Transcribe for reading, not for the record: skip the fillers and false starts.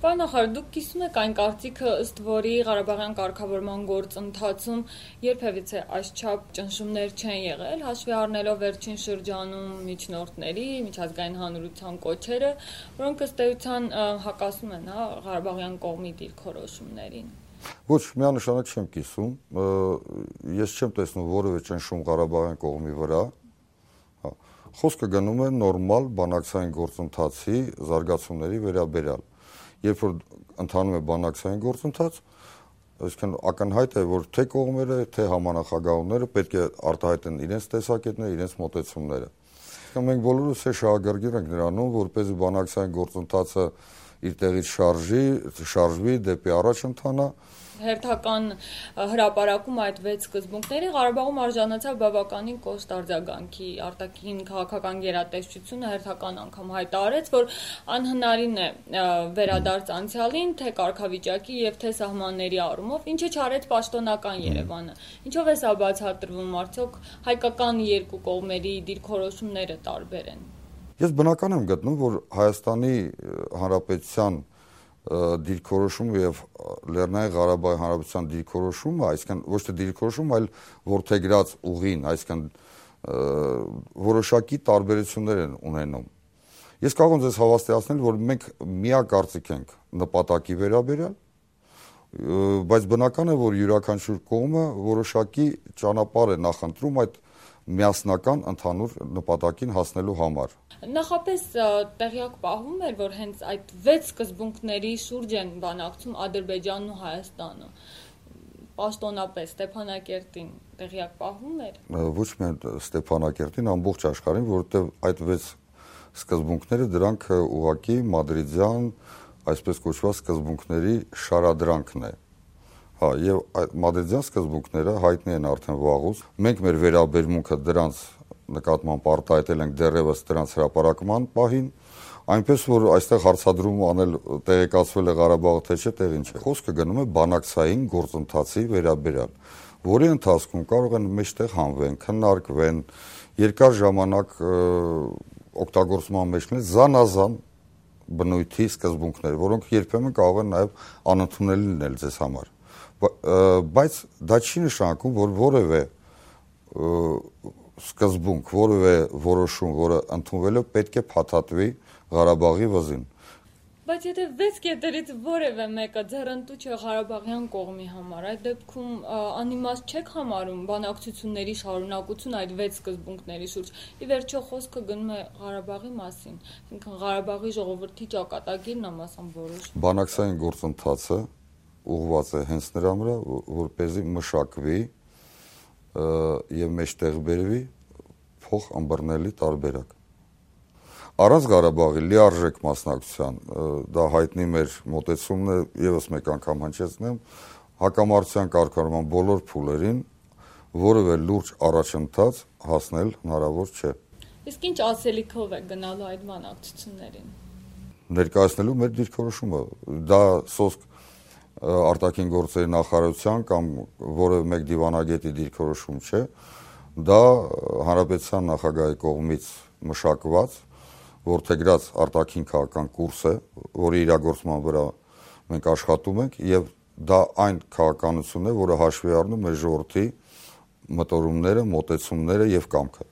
Պարոն նախարար, դուք կիսում եք այն կարծիքը, ըստ որի Ղարաբաղյան կարգավորման գործընթացում երբևիցե այսչափ ճնշումներ չեն եղել, հաշվի առնելով վերջին շրջանում միջնորդների, միջազգային հանրության կոչերը, որոնք ըստ էության հակասում են Ղարաբաղյան կողմի դիրքորոշումներին։ Ոչ, միանշանակ չեմ կիսում, ես չեմ տեսնում որևէ ճնշում Ղարաբաղյան կողմի վրա, խոսքը գնում է նորմալ բանակցային գործընթացի զարգացումների վերաբերյալ։ Երբ որ ընթանում է բանակցային գործընթաց, այսինքն ակնհայտ է, որ թե կողմերը, թե համանախագահողները պետք է արտահայտեն իրենց տեսակետները, իրենց մոտեցումները։ Մենք բոլորս շահագրգիռ ենք նրանում, որպեսզի բանակցային գործընթացը իր տեղից շարժվի, դեպի առաջ ընթանա։ Հերթական հրապարակում այդ 6 սկզբունքների Ղարաբաղում արժանացավ բավականին կոշտ արձագանքի, արտաքին քաղաքական գերատեսչությունը հերթական անգամ հայտարարեց, որ անհնարին է վերադարձ անցյալին, թե կարգավիճակի եւ թե սահմանների առումով, ինչը չարեց պաշտոնական Երևանը։ Ինչով է սա բացատրվում, արդյոք հայկական երկու կողմերի դիրքորոշումները տարբեր են։ Ես բնական եմ գտնում, որ Հայաստանի Հանրապետության դիրքորոշումը եւ Լեռնային Ղարաբաղի Հանրապետության դիրքորոշումը, այսինքն ոչ թե դիրքորոշումը, այլ որդեգրած ուղին, այսինքն որոշակի տարբերություններ են ունենում։ Ես կարող եմ ձեզ հավաստիացնել, որ մենք միակարծիք ենք նպատակի վերաբերյալ, բայց բնական է, որ յուրաքանչյուր կողմը որոշակի ճանապարհ է նախընտրում այդ միասնական ընդհանուր նպատակին հասնելու համար։ Նախապես տեղյակ պահվում էր, որ հենց այդ 6 սկզբունքների շուրջ են բանակցում Ադրբեջանն ու Հայաստանը։ Պաշտոնապես Ստեփանակերտին տեղյակ պահվում էր։ Ոչ միայն Ստեփանակերտին, ամբողջ աշխարհին, որովհետև այդ 6 սկզբունքները դրանք ուղղակի մադրիդյան, այսպես կոչված սկզբունքների շարադրանքն է։ Եվ այդ մադրիդյան սկզբունքները հայտնի են արդեն վաղուց։ Մենք մեր վերաբերմունքը դրանց նկատմամբ արտահայտել ենք դեռևս դրանց հրապարակման պահին, այնպես որ այստեղ հարցադրում անել տեղեկացվել է Ղարաբաղը թե չէ, տեղին չէ։ Խոսքը գնում է բանակցային գործընթացի վերաբերյալ, որի ընթացքում կարող են մեջտեղ հանվեն, քննարկվեն, երկար ժամանակ օգտագործման մեջ լինեն զանազան բնույթի սկզբունքներ, որոնք երբեմն կարող են նաև անընդունելի լինել ձեզ համար։ Բայց դա չի նշանակում, որ որևէ սկզբունք, որևէ որոշում, որը ընդունվել է, պետք է փաթաթվի Ղարաբաղի վզին։ Բայց եթե 6 կետերից որևէ մեկը ձեռնտու չէ Ղարաբաղյան կողմի համար, այդ դեպքում անիմաստ չեք համարում բանակցությունների շարունակություն այդ 6 սկզբունքների շուրջ։ Ի վերջո խոսքը գնում է Ղարաբաղի մասին, այսինքն Ղարաբաղի ժողովրդի ճակատագիրն ամասամբ որոշվում։ Բանակցային գործընթացը ուղղված է հենց նրա վրա, որպեսզի մշակվի եւ մեջտեղ բերվի փոխըմբռնելի տարբերակ։ Առանց Ղարաբաղի լիարժեք մասնակցության, դա հայտնի մեր մոտեցումն է, եւս մեկ անգամ հնչեցնեմ, հակամարտության կարգավորման բոլոր փուլերին որևէ լուրջ առաջընթաց հասնել հնարավոր չէ։ Իսկ ինչ ասելիքով է գնալու այդ բանակցություններին։ Ներկայացնելու մեր դիրքորոշումը, դա սոսկ արտաքին գործերի նախարարության կամ որևէ մեկ դիվանագետի դիրքորոշում չէ, դա հանրապետության նախագահի կողմից մշակված, որդեգրած արտաքին քաղաքական կուրս է, որի իրագործման վրա մենք աշխատում ենք եւ դա այն քաղաքականությունն է, որը հաշվի առնում մեր ժողովրդի մտորումները, մոտեցումները եւ կամքը։